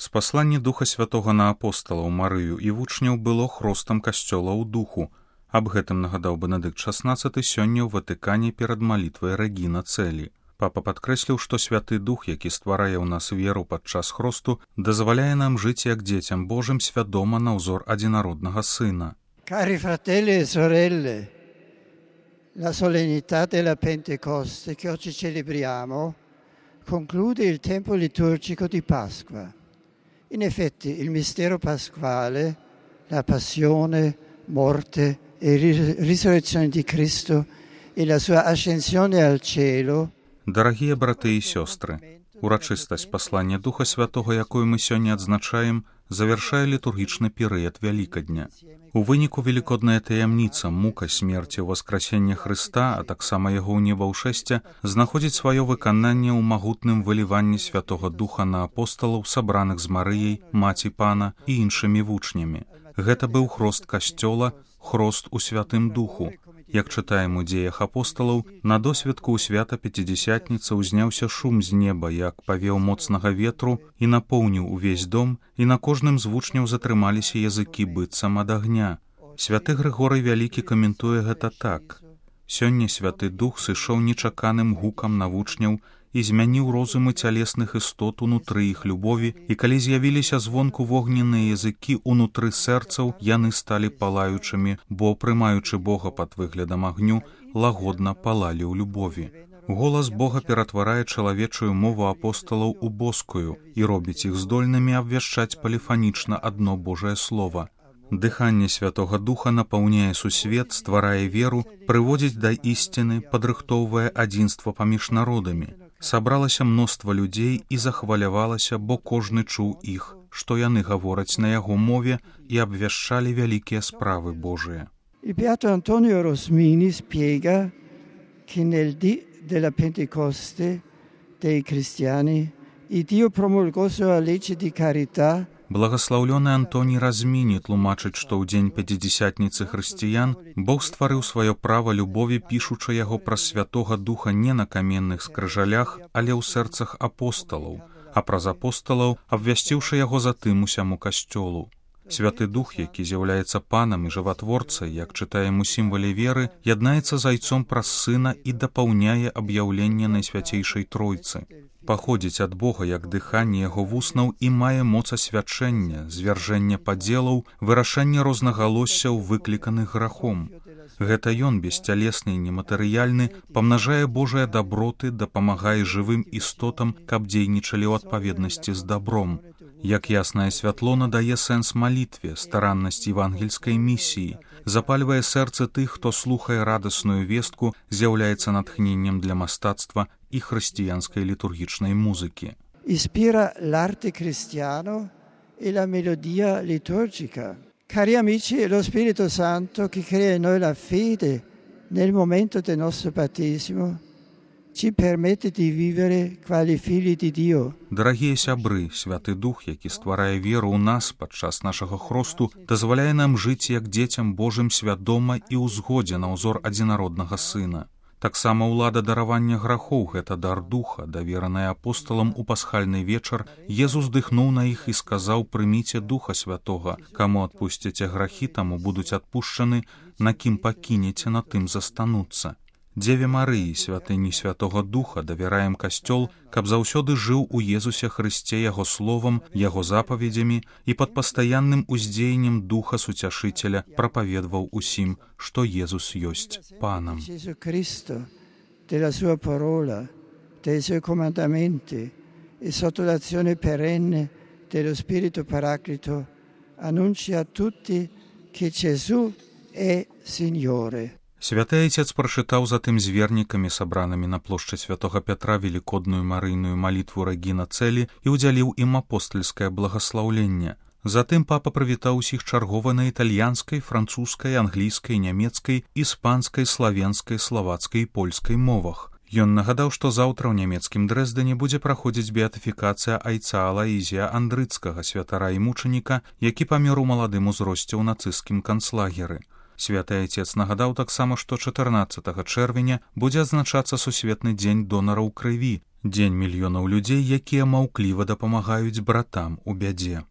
Спасланне Духа Святога на апосталаў, Марыю і вучняў было хростам касцёла ў духу. Аб гэтым нагадаў Бенедыкт XVI сёння ў Ватыкане перад малітвай Рэгіна Цэлі. Папа падкрэсліў, што Святы Дух, які стварае ў нас веру падчас хросту, дазваляе нам жыць як дзецям Божым свядома на ўзор адзінароднага Сына. Cari fratelli e sorelle, la solennità della Pentecoste che oggi celebriamo conclude il tempo liturgico di Pasqua. In effetti il mistero pasquale, la passione, morte e risurrezione di Cristo e la sua ascensione al cielo. Дарагія браты і сёстры, урачыстасць паслання Духа Святога, якую мы сёння адзначаем, завяршае літургічны перыяд Вялікадня. У выніку велікодная таямніца, мука смерці ў васкрасення Хрыста, а таксама яго ўнебаўшэсця, знаходзіць сваё выкананне ў магутным выліванні Святога Духа на апосталаў, сабраных з Марыяй, маці Пана і іншымі вучнямі. Гэта быў хрост касцёла, хрост у Святым Духу. Як чытаем у дзеях апосталаў, на досведку ў свята Пяцідзясятніцы ўзняўся шум з неба, як павеў моцнага ветру і напоўніў увесь дом, і на кожным з вучняў затрымаліся языкі быццам ад агня. Святы Грыгорый Вялікі каментуе гэта так. Сёння Святы Дух сышоў нечаканым гукам на вучняў і змяніў розумы цялесных істот унутры іх любові, і калі з'явіліся звонку вогненныя языкі унутры сэрцаў, яны сталі палаючымі, бо, прымаючы Бога пад выглядам агню, лагодна палалі ў любові. Голас Бога ператварае чалавечую мову апосталаў у боскую і робіць іх здольнымі абвяшчаць поліфанічна адно Божае Слова. Дыханне Святога Духа напаўняе сусвет, стварае веру, прыводзіць да ісціны, падрыхтоўвае адзінства паміж народамі. Сабралася мноства людзей і захвалявалася, бо кожны чуў іх, што яны гавораць на яго мове і абвяшчалі вялікія справы Божыя. Il beato Antonio Rosmini spiega che nel dì della Pentecoste dei cristiani il Dio promulgò sua legge di carità. Благаслаўлёны Антоній Разміні тлумачыць, што ў дзень Пяцідзясятніцы хрысціян Бог стварыў сваё права любові, пішучы яго праз Святога Духа не на каменных скрыжалях, але ў сэрцах апосталаў, а праз апосталаў абвясціўшы яго затым усяму касцёлу. Святы Дух, які з'яўляецца панам і жыватворцай, як чытаем у сімвале веры, яднаецца з Айцом праз Сына і дапаўняе аб'яўленне Найсвяцейшай Тройцы. Паходзіць ад Бога як дыханне яго вуснаў і мае моц асвячэння, звяржэння падзелаў, вырашэння рознагалоссяў, выкліканых грахом. Гэта ён, бесцялесны і нематэрыяльны, памнажае Божыя даброты, дапамагае жывым істотам, каб дзейнічалі ў адпаведнасці з дабром. Як яснае святло надае сэнс малітве, стараннасць евангельскай місіі, запальвае сэрцы тых, хто слухае радасную вестку, з'яўляецца натхненнем для мастацтва і хрысціянскай літургічнай музыкі. Ispira l'arte cristiano e la melodia liturgica. Cari amici, è lo Spirito Santo che crea in noi la fede nel momento del nostro battesimo ci permette di vivere quali figli di Dio. Дарагія сябры, Святы Дух, які стварае веру ў нас падчас нашага хросту, дазваляе нам жыць як дзецям Божым свядома і ў згодзе на ўзор адзінароднага Сына. Таксама ўлада даравання грахоў — гэта дар Духа, давераная апосталам у пасхальны вечар. Езус дыхнуў на іх і сказаў: «Прыміце Духа Святога, каму адпусціце грахі, таму будуць адпушчаны, на кім пакінеце, на тым застануцца». Дзеве Марыі, святыні Святога Духа, давяраем касцёл, каб заўсёды жыў у Езусе Хрысце яго словам, яго запаведзямі і пад пастаянным уздзеяннем Духа Суцяшыцеля прапаведваў усім, што Езус ёсць Панам. Della sua parola, dei suoi comandamenti e sotto l'azione perenne dello Spirito Paraclito annuncia a tutti che Gesù è Signore. Святы Айцец прачытаў затым з вернікамі, сабранымі на плошчы Святога Пятра, велікодную марыйную малітву Рэгіна Цэлі і ўдзяліў ім апостальскае благаслаўленне. Затым папа прывітаў усіх чаргова на італьянскай, французскай, англійскай, нямецкай, іспанскай, славенскай, славацкай і польскай мовах. Ён нагадаў, што заўтра ў нямецкім Дрэздане будзе праходзіць беатыфікацыя айца Алаізія Андрыцкага, святара і мучаніка, які памёр у маладым узросце ў нацысцкім канцлагеры. Святы Айцец нагадаў таксама, што 14 чэрвеня будзе адзначацца Сусветны дзень донараў крыві, дзень мільёнаў людзей, якія маўкліва дапамагаюць братам у бядзе.